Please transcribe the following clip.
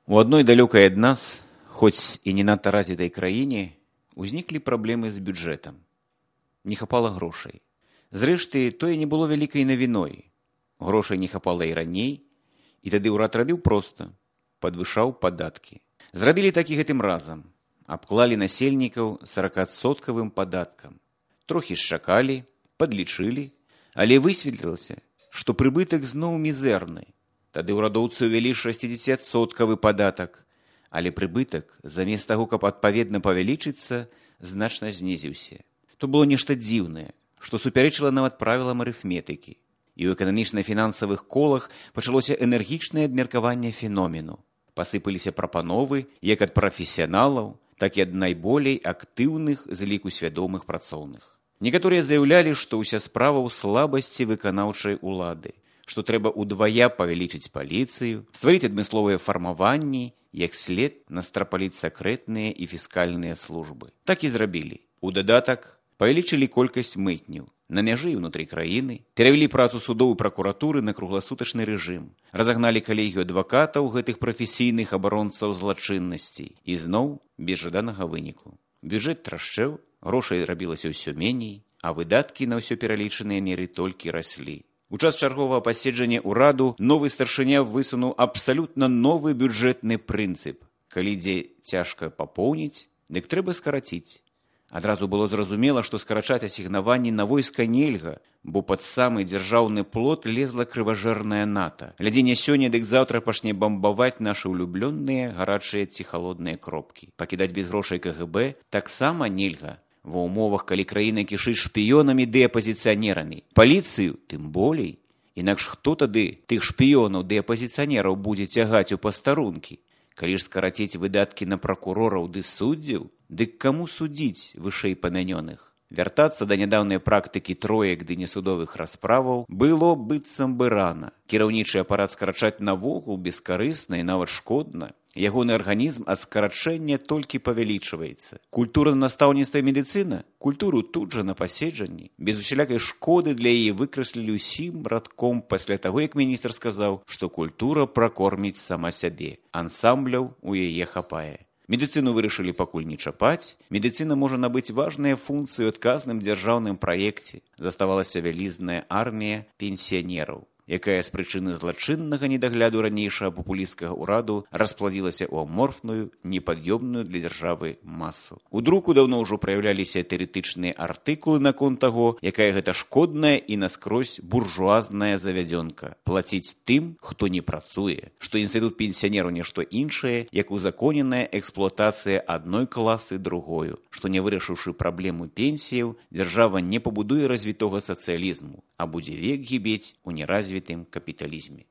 У адной далёкай ад нас, хоць і не надта развітай краіне, узніклі праблемы з бюджэтам. Не хапала грошай. Зрэшты, тое не было вялікай навіной. Грошай не хапала і раней, і тады ўрад рабіў проста. Падвышаў падаткі. Зрабілі так і гэтым разам. Абклалі насельнікаў 40% падаткам. Трохі шчакалі, падлічылі, але высветлілася, што прыбытак зноў мізэрны. Тады ўрадоўцы ўвялі 60% падатак, але прыбытак, замест таго, каб адпаведна павялічыцца, значна знізіўся. То было нешта дзіўнае, што супярэчыла нават правілам арыфметыкі. І ў эканамічна-фінансавых колах пачалося энергічнае абмеркаванне феномену. Пасыпаліся прапановы як ад прафесіяналаў, так і ад найболей актыўных з ліку свядомых працоўных. Некаторыя заяўлялі, што ўся справа ў слабасці выканаўчай улады, што трэба ўдвая павялічыць паліцыю, стварыць адмысловыя фармаванні, як след настрапаліць сакрэтныя і фіскальныя службы. Так і зрабілі. У дадатак павялічылі колькасць мытняў на мяжы і ўнутры краіны, перавялі працу судоў і пракуратуры на кругласутачны рэжым, разагналі калегію адвакатаў гэтых прафесійных абаронцаў злачыннасці і зноў без жаданага выніку. Бюджэт трашчэў, грошай рабілася ўсё меней, а выдаткі на ўсё пералічаныя меры толькі раслі. У час чарговага паседжання ўраду новы старшыня высунуў абсалютна новы бюджэтны прынцып. Калі дзе цяжка папоўніць, дык трэба скараціць. Адразу было зразумела, што скарачаць асігнаванні на войска нельга, бо пад самы дзяржаўны плот лезла крыважэрная НАТО. Глядзі не сёння, дык заўтра пачне бамбаваць нашы ўлюблённыя гарачыя ці халодныя кропкі. Пакідаць без грошай КГБ таксама нельга. Ва ўмовах, калі краіна кішыць шпіёнамі ды апазіцыянерамі. Паліцыю тым болей. Інакш хто тады тых шпіёнаў ды апазіцыянераў будзе цягаць у пастарункі? Калі ж скараціць выдаткі на пракурораў ды суддзяў, дык каму судзіць вышэй памянёных? Вяртацца да нядаўнай практыкі троек ды несудовых расправаў было быццам бы рана. Кіраўнічы апарат скарачаць навогул бескарысна і нават шкодна. Ягоны арганізм ад скарачэння толькі павялічваецца. Культура настаўніцтва і медыцына? Культуру тут жа на паседжанні. Без усялякай шкоды для яе выкраслілі ўсім радком пасля таго, як міністр сказаў, што культура пракорміць сама сябе. Ансамбляў у яе хапае. Медыцыну вырашылі пакуль не чапаць. Медыцына можа набыць важныя функцыі ў адказным дзяржаўным праекце. Заставалася вялізная армія пенсіянераў, якая з прычыны злачыннага недагляду ранейшага папулісцкага ўраду распладзілася ў аморфную, непад'ёмную для дзяржавы масу. У друку даўно ўжо праяўляліся тэарэтычныя артыкулы наконт таго, якая гэта шкодная і наскрозь буржуазная завядзёнка. Плаціць тым, хто не працуе, што інстытут пенсіянеру нешта іншае, як узаконеная эксплуатацыя адной класы другою, што не вырашыўшы праблему пенсіяў, дзяржава не пабудуе развітога сацыялізму, а будзе век гібець у неразвітым капіталізме.